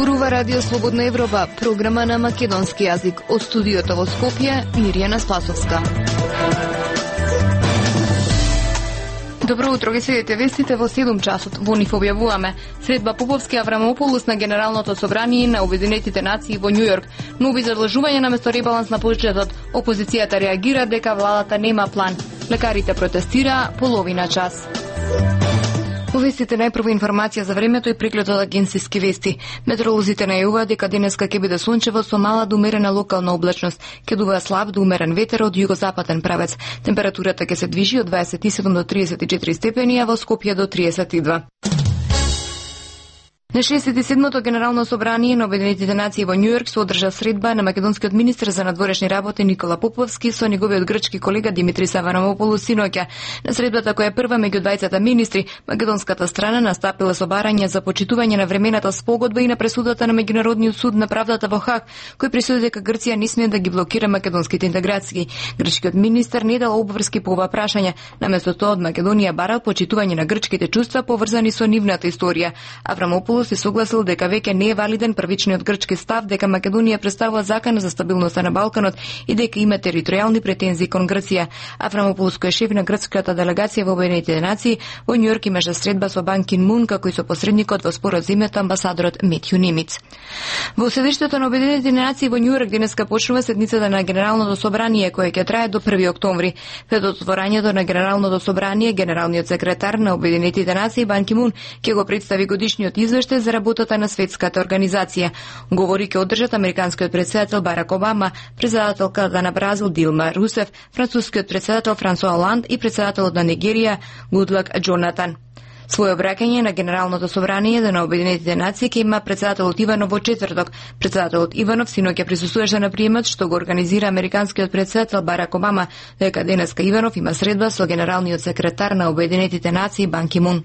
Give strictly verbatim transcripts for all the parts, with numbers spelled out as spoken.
Зборува Радио Слободна Европа, програма на македонски јазик. Од студиото во Скопје, Мирјана Спасовска. Добро утро, ги следите вестите во седум часот. Во нив објавуваме: средба Поповски Аврамополус на Генералното собрание на Обединетите нации во Њу Јорк, нови задлажувања наместо ребаланс на буџетот, опозицијата реагира дека владата нема план, лекарите протестираа половина час. Во вестите најпрво информација за времето и преглед од агенциски вести. Метеоролозите најавуваат дека денеска ќе биде сончево со мала до умерена локална облачност. Ќе дува слаб до умерен ветер од југозападен правец. Температурата ќе се движи од дваесет и седум до триесет и четири степени, а во Скопје до триесет и два. На шеесет и седмото Генерално собрание на Обединетите нации во Њу Јорк се одржа средба на македонскиот министер за надворешни работи Никола Поповски со неговиот грчки колега Димитрис Аврамополус синоќа. На средбата, која е прва меѓу двајцата министри, македонската страна настапила со барање за почитување на времената спогодба и на пресудата на Меѓународниот суд на правдата во Хаг, кој пресуди дека Грција не смее да ги блокира македонските интеграции. Грчкиот министер не дал обврски по ова прашање. Наместо тоа од Македонија барал почитување на грчките чувства поврзани со нивната историја. Аврамополус се согласил дека веќе не е валиден првичниот грчки став дека Македонија представува закана за стабилноста на Балканот и дека има територијални претензии кон Грција. Аврамополус, кој е шеф на грчката делегација во Обединетите нации, во Њу Јорк имаше средба со Бан Ки Мун, како и со посредникот во спорот за името амбасадорот Метју Нимиц. Во седиштето на Обединетите нации во Њу Јорк денеска почнува седницата на Генералното собрание, која ќе трае до први октомври. Пред отворањето на Генералното собрание, генералниот секретар на Обединетите нации Бан Ки Мун ќе го представи годишниот извештај за работата на светската организација. Говори ќе одржат американскиот председател Барак Обама, председателката на Бразил Дилма Русеф, францускиот председател Франсуа Оланд и председателот на Нигерија Гудлак Џонатан. Своје обраќање на Генералното собрание на Обединетите нации ќе има председателот Иванов во четврток. Председателот Иванов синоќа присуствуваше на приемот што го организира американскиот председател Барак Обама, дека денеска Иванов има средба со генералниот секретар на Обединетите нации Бан Ки Мун.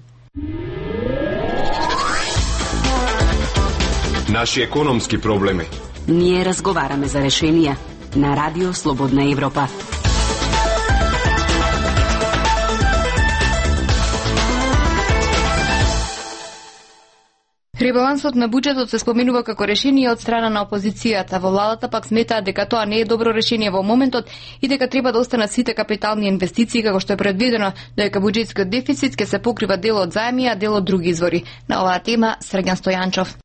Наши економски проблеми. Ние разговараме за решенија на Радио Слободна Европа. Ребалансот на буџетот се споменува како решение од страна на опозицијата. Во владата пак сметаат дека тоа не е добро решение во моментот и дека треба да останат сите капитални инвестиции како што е предвидено, дека буџетскиот дефицит ќе се покрива дел од заеми, а дел од други извори. На оваа тема Срѓан Стојанчов.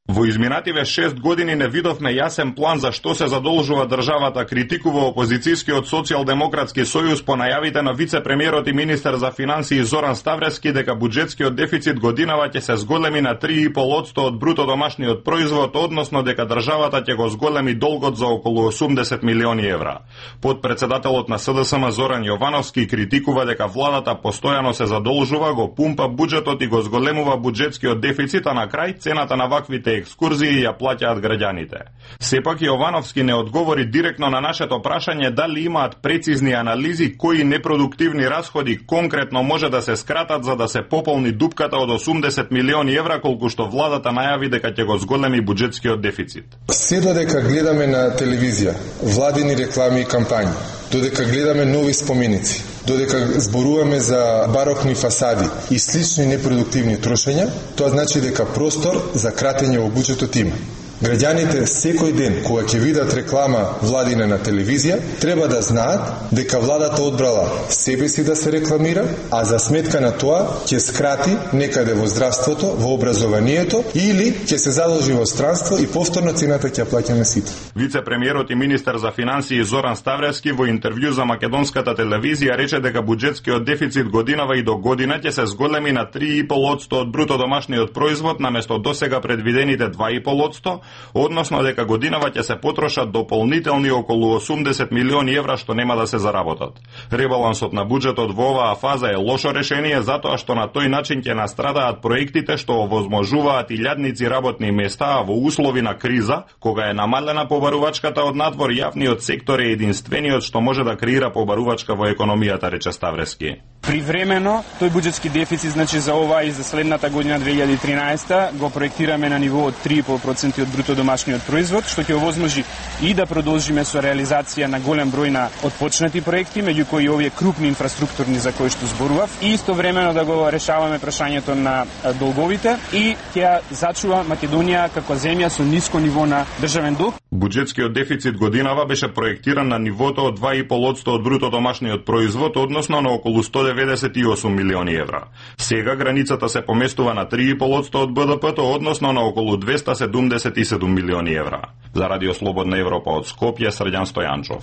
Во изминативе шест години не видовме јасен план за што се задолжува државата, критикува опозицијскиот социјалдемократски сојуз по најавите на вице-премиерот и министер за финансии Зоран Ставрески дека буџетскиот дефицит годинава ќе се зголеми на три и пол одсто од бруто домашниот производ, односно дека државата ќе го зголеми долгот за околу осумдесет милиони евра. Подпредседателот на С Д С М Зоран Јовановски критикува дека владата постојано се задолжува, го пумпа буџетот и го зголемува буџетскиот дефицит, а на крај цената на ваквите екскурзии ја плаќаат граѓаните. Сепак Јовановски не одговори директно на нашето прашање дали имаат прецизни анализи кои непродуктивни расходи конкретно може да се скратат за да се пополни дупката од осумдесет милиони евра колку што владата најави дека ќе го зголеми буџетскиот дефицит. Се додека гледаме на телевизија владини реклами и кампањи, додека гледаме нови споменици, додека зборуваме за барокни фасади и слични непродуктивни трошења, тоа значи дека простор за кратење во буџетот има. Граѓаните секој ден кога ќе видат реклама владина на телевизија, треба да знаат дека владата одбрала себе си да се рекламира, а за сметка на тоа ќе скрати некаде во здравството, во образованието или ќе се задолжи во странство и повторно цената ќе ја плаќаме сите. Вице-премиерот и министер за финансии Зоран Ставрески во интервју за македонската телевизија рече дека буџетскиот дефицит годинава и до година ќе се зголеми на три и пол одсто од бруто домашниот производ наместо досега предвидените два и пол одсто, односно дека годинава ќе се потрошат дополнителни околу осумдесет милиони евра што нема да се заработат. Ребалансот на буџетот во оваа фаза е лошо решение затоа што на тој начин ќе настрадаат проектите што овозможуваат илјадници работни места, а во услови на криза, кога е намалена побарувачката од надвор, јавниот сектор е единствениот што може да креира побарувачка во економијата, рече Ставрески. Привремено, тој буџетски дефицит, значи за оваа и за следната година две илјади и тринаесета, го проектираме на ниво од три и пол проценти од бруто домашниот производ, што ќе овозможи и да продолжиме со реализација на голем број на отпочнати проекти, меѓу кои овие крупни инфраструктурни за кои што зборував, и истовремено да го решаваме прашањето на долговите и ќе зачува Македонија како земја со ниско ниво на државен долг. Буџетскиот дефицит годинава беше проектиран на нивото од два и пол одсто од бруто домашниот производ, односно на околу сто деветдесет и осум милиони евра. Сега границата се поместува на три и пол одсто од Б Д П-то, односно на околу двеста седумдесет и седум милиони евра. За Радио Слободна Европа од Скопје, Срđan Стојанчов.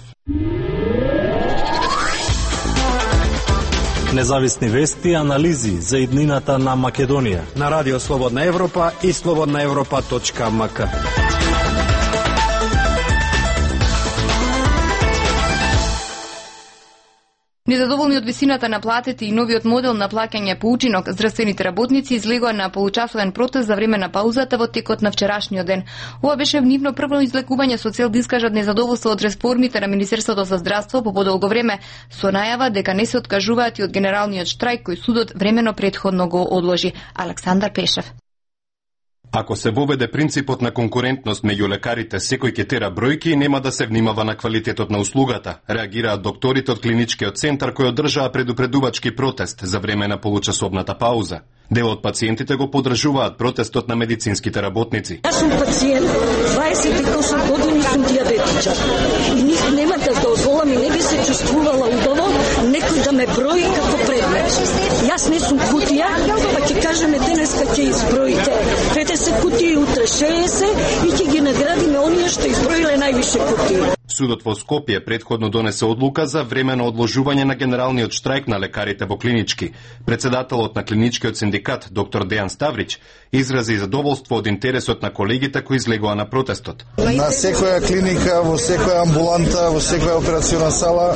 Независни вести и анализи за иднината на Македонија на Радио Слободна Европа и слободна европа точка ем ка. Незадоволни од висината на платите и новиот модел на плаќање по учинок, здравствените работници излегоа на получасовен протест за време на паузата во текот на вчерашниот ден. Ова беше нивно прво излекување со цел да искажат незадоволство од реформите на Министерството за здравство по подолго време, со најава дека не се откажуваат и од генералниот штрајк кој судот времено претходно го одложи. Александар Пешев. Ако се воведе принципот на конкурентност меѓу лекарите, секој ќе тера бројки и нема да се внимава на квалитетот на услугата, реагираат докторите од клиничкиот центар кој одржаа предупредувачки протест за време на получасовната пауза. Дел од пациентите го поддржуваат протестот на медицинските работници. Јас сум пациент, дваесет и осум години сум диабетичар. И ник нема да дозволам и не би се чувствувала убаво некој да ме брои како предмет. Јас не сум кутија, па ќе кажеме денеска ќе изброите петдесет кутии, утре шеесет и ќе ги наградиме оние што изброиле највише кутии. Судот во Скопје претходно донесе одлука за времено одложување на генералниот штрајк на лекарите во клинички. Председателот на клиничкиот синдикат, доктор Дејан Ставрич, изрази задоволство од интересот на колегите кои излегоа на протестот. На секоја клиника, во секоја амбуланта, во секоја операциона сала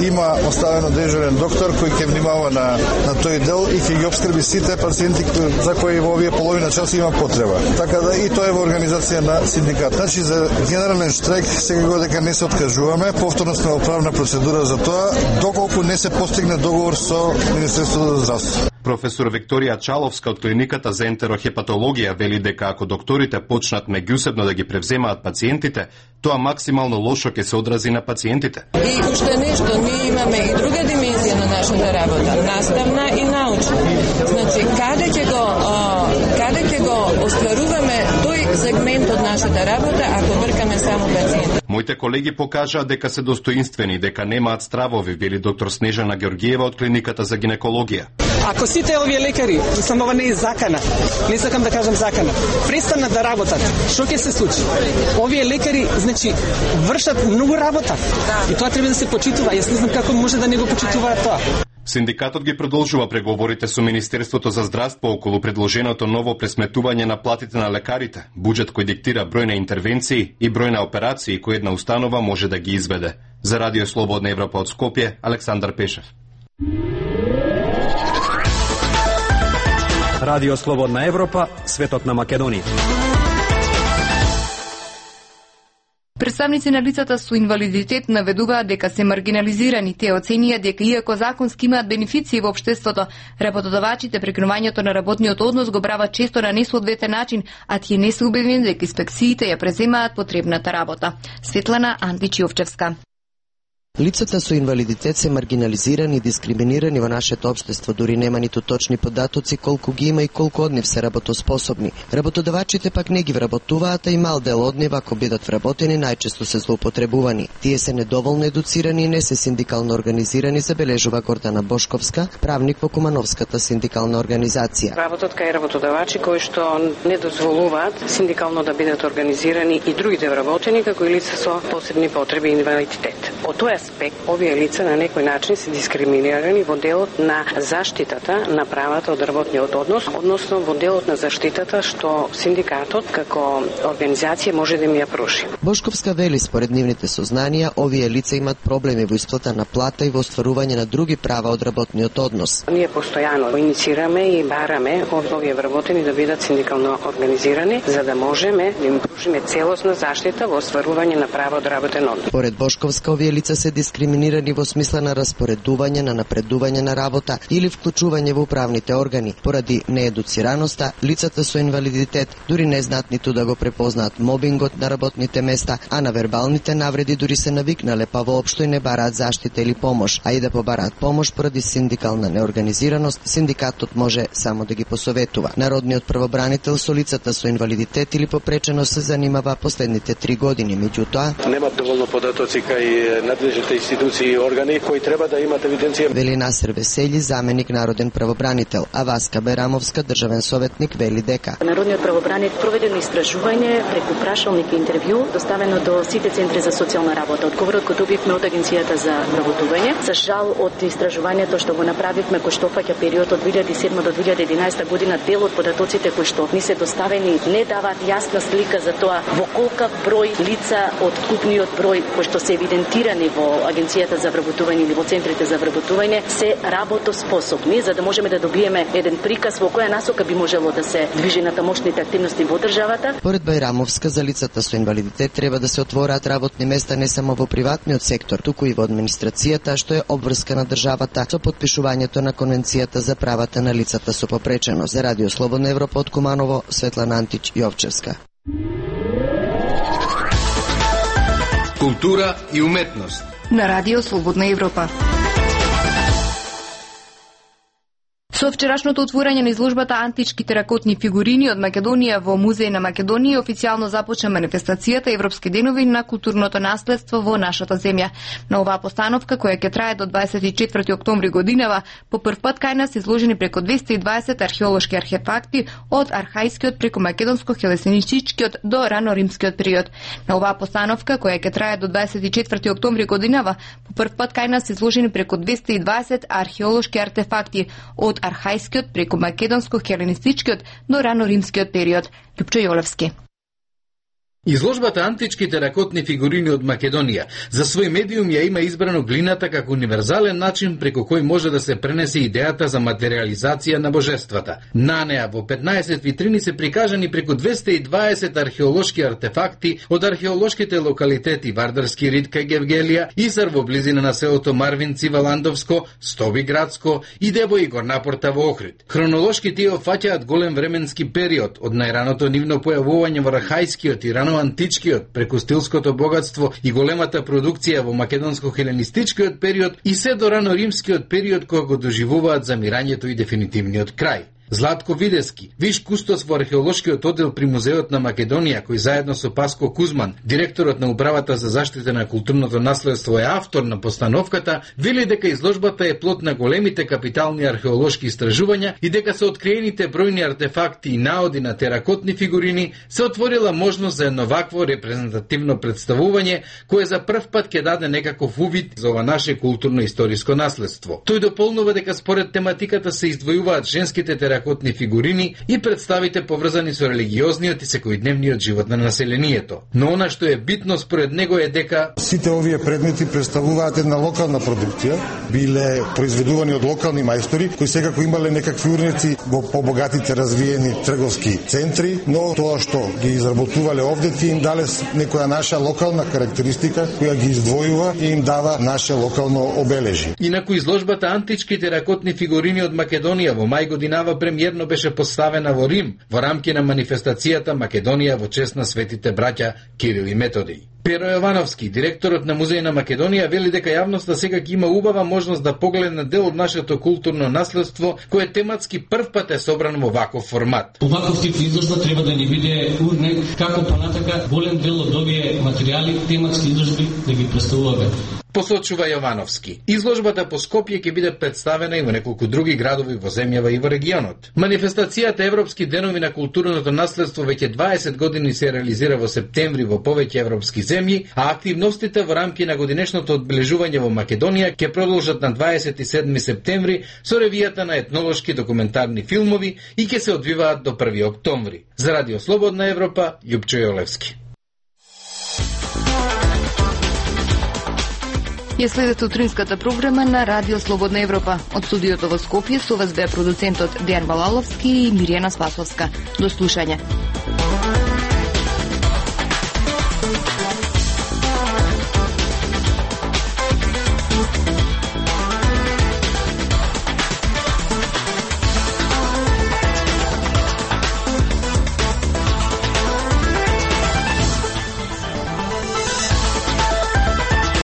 има оставено дежурен доктор кој ќе внимава на, на тој дел и ќе ги обскрби сите пациенти за кои во овие половина час има потреба. Така да и тоа е во организација на синдикат. Значи за генерален штрајк сега го дека не се откажуваме, повторно сме во правна процедура за тоа, доколку не се постигне договор со Министерството за здравство. Професор Викторија Чаловска од клиниката за ентерохепатологија вели дека ако докторите почнат меѓусебно да ги превземаат пациентите, тоа максимално лошо ќе се одрази на пациентите. И уште нешто, ние имаме и друга димензија на нашата работа, наставна и научна. Значи, каде ќе го каде ќе го остваруваме тој сегмент од нашата работа ако вркаме само пациентите? Моите колеги покажаа дека се достоинствени, дека немаат стравови, вели доктор Снежана Георгиева од клиниката за гинекологија. Ако сите овие лекари, само ова не е закана, не сакам да кажам закана, престанат да работат, што ќе се случи? Овие лекари, значи, вршат многу работа. И тоа треба да се почитува. Јас не знам како може да не го почитуваат тоа. Синдикатот ги продолжува преговорите со Министерството за здравство околу предложеното ново пресметување на платите на лекарите, буџет кој диктира број на интервенции и број на операции кои една установа може да ги изведе. За Радио Слободна Европа од Скопје, Александар Пешев. Радио Слободна Европа, светот на Македонија. Представници на лицата со инвалидитет наведуваат дека се маргинализирани. Те оценија дека иако законски имаат бенефиции во општеството, работодавачите прекинувањето на работниот однос го прават често на несоодветен начин, а тие не се убедени дека инспекциите ја преземаат потребната работа. Светлана Андичиовчевска. Лицата со инвалидитет се маргинализирани и дискриминирани во нашето општество, дури нема ниту точни податоци колку ги има и колку од нив се работоспособни. Работодавачите пак не ги вработуваат, а и мал дел од нив, ако бидат вработени, најчесто се злоупотребувани. Тие се недоволно едуцирани и не се синдикално организирани, забележува Гордана Бошковска, правник во Кумановската синдикална организација. Работат кај работодавачи кои што не дозволуваат синдикално да бидат организирани и другите вработени, како и лица со посебни потреби и инвалидитет. Од тој аспект, овие лица на некој начин се дискриминирани во делот на заштитата на правата од работниот однос, односно во делот на заштитата што синдикатот како организација може да им ја пруži. Бошковска вели, според нивните сознанија, овие лица имат проблеми во исплата на плата и во остварување на други права од работниот однос. Ние постојано инициираме и бараме од овие вработени да бидат синдикално организирани, за да можеме да им пружиме целосна заштита во остварување на права од работен однос. Според Бошковска, овие овие лица се дискриминирани во смисла на распоредување, на напредување на работа или вклучување во управните органи. Поради неедуцираноста, лицата со инвалидитет дури не знаат ниту да го препознаат мобингот на работните места, а на вербалните навреди дури се навикнале, па воопшто и не бараат заштита или помош, а и да побараат помош поради синдикална неорганизираност, синдикатот може само да ги посоветува. Народниот правобранител со лицата со инвалидитет или попреченост се занимава последните три години, меѓутоа немат доволно податоци кај надлежните институции и органи кои треба да имат евиденција. Вели Насер Весели, заменик народен правобранител, а Васка Берамовска, државен советник, вели дека Народниот правобранител проведено истражување преку прашалник и интервју доставено до сите центри за социјална работа. Одговорот кој добивме од Агенцијата за вработување. За жал од истражувањето што го направивме, кој што опфаќа период од две илјади и седма до две илјади и единаесета година, дел од податоците кои што ни се доставени не даваат јасна слика за тоа во колкав број лица од купниот број кои што се евидентирани во Агенцијата за вработување или во центрите за вработување се работоспособни, за да можеме да добиеме еден приказ во која насока би можело да се движи натамошните активности во државата. Поред Бајрамовска, за лицата со инвалидитет треба да се отвораат работни места не само во приватниот сектор, туку и во администрацијата, што е обврска на државата со подпишувањето на Конвенцијата за правата на лицата со попреченост. За Радио Слободна Европа од Куманово, Светлана Антич Јовчевска. Култура и уметност на Радио Слободна Европа. Со вчерашното отворање на изложбата Антички теракотни фигурини од Македонија во Музеј на Македонија официјално започна манифестацијата Европски денови на културното наследство во нашата земја. На оваа постановка, која ќе трае до дваесет и четврти октомври годинава, по прв пат кај нас изложени преку двесте и дваесет археолошки архефакти од архајскиот преку македонско-хелесиничкиот до рано-римскиот период. На оваа постановка, која ќе трае до дваесет и четврти октомври годинава, по прв пат кај нас изложени преку двесте и дваесет археолошки артефакти од архајскиот преку македонско-хеленистичкиот до рано-римскиот период. Љупчо Јолевски. Изложбата Антички теракотни фигурини од Македонија за свој медиум ја има избрано глината како универзален начин преку кој може да се пренесе идејата за материализација на божествата. На неа во петнаесет витрини се прикажани преку двесте и дваесет археолошки артефакти од археолошките локалитети Вардарски рид кај Гевгелија, Исар во близина на селото Марвинци Валандовско, Стобиградско и Дебој и Горнапорта во Охрид. Хронолошки тие опфаќаат голем временски период од најраното нивно појавување во архајскиот и рано античкиот преку стилското богатство и големата продукција во македонско-хеленистичкиот период и се до рано-римскиот период кој го доживуваат замирањето и дефинитивниот крај. Златко Видески, виш кустос во археолошкиот оддел при Музеот на Македонија, кој заедно со Паско Кузман, директорот на Управата за заштита на културното наследство, е автор на постановката, вели дека изложбата е плод на големите капитални археолошки истражувања и дека со откриените бројни артефакти и наоди на теракотни фигурини се отворила можност за едно вакво репрезентативно представување, кое за прв пат ќе даде некаков увид за ова наше културно-историско наследство. Тој дополнува дека според тематиката се издвојуваат женските теракотни теракотни фигурини и представите поврзани со религиозниот и секојдневниот живот на населението. Но она што е битно според него е дека сите овие предмети представуваат една локална продукција, биле произведувани од локални мајстори кои секако имале некакви урници во побогатите развиени трговски центри, но тоа што ги изработувале овде ти им дале некоја наша локална карактеристика која ги издвојува и им дава наше локално обележи. Инаку изложбата Антички теракотни фигурини од Македонија во мај годинава премиерно беше поставена во Рим во рамки на манифестацијата Македонија во чест на светите браќа Кирил и Методиј. Перо Јовановски, директорот на Музеј на Македонија, вели дека јавноста сега има убава можност да погледне на дел од нашето културно наследство, кое тематски прв пат е собрано во ваков формат. Оваков тип изложба треба да ни биде урнек како понатака голем дел од овие материјали, тематски изложби да ги представуваме. Посочува Јовановски. Изложбата по Скопје ќе биде представена и во неколку други градови во земјава и во регионот. Манифестацијата Европски денови на културното наследство веќе дваесет години се реализира во септември во повеќе европски земји, а активностите во рамки на годинешното одбележување во Македонија ќе продолжат на дваесет и седми септември со ревијата на етнолошки документарни филмови и ќе се одвиваат до први октомври. За Радио Слободна Европа, Љупчо Јолевски. Ја следете утринската програма на Радио Слободна Европа. Од студиото во Скопје со вас беа продуцентот Дејан Балаловски и Миријана Спасовска. До слушање.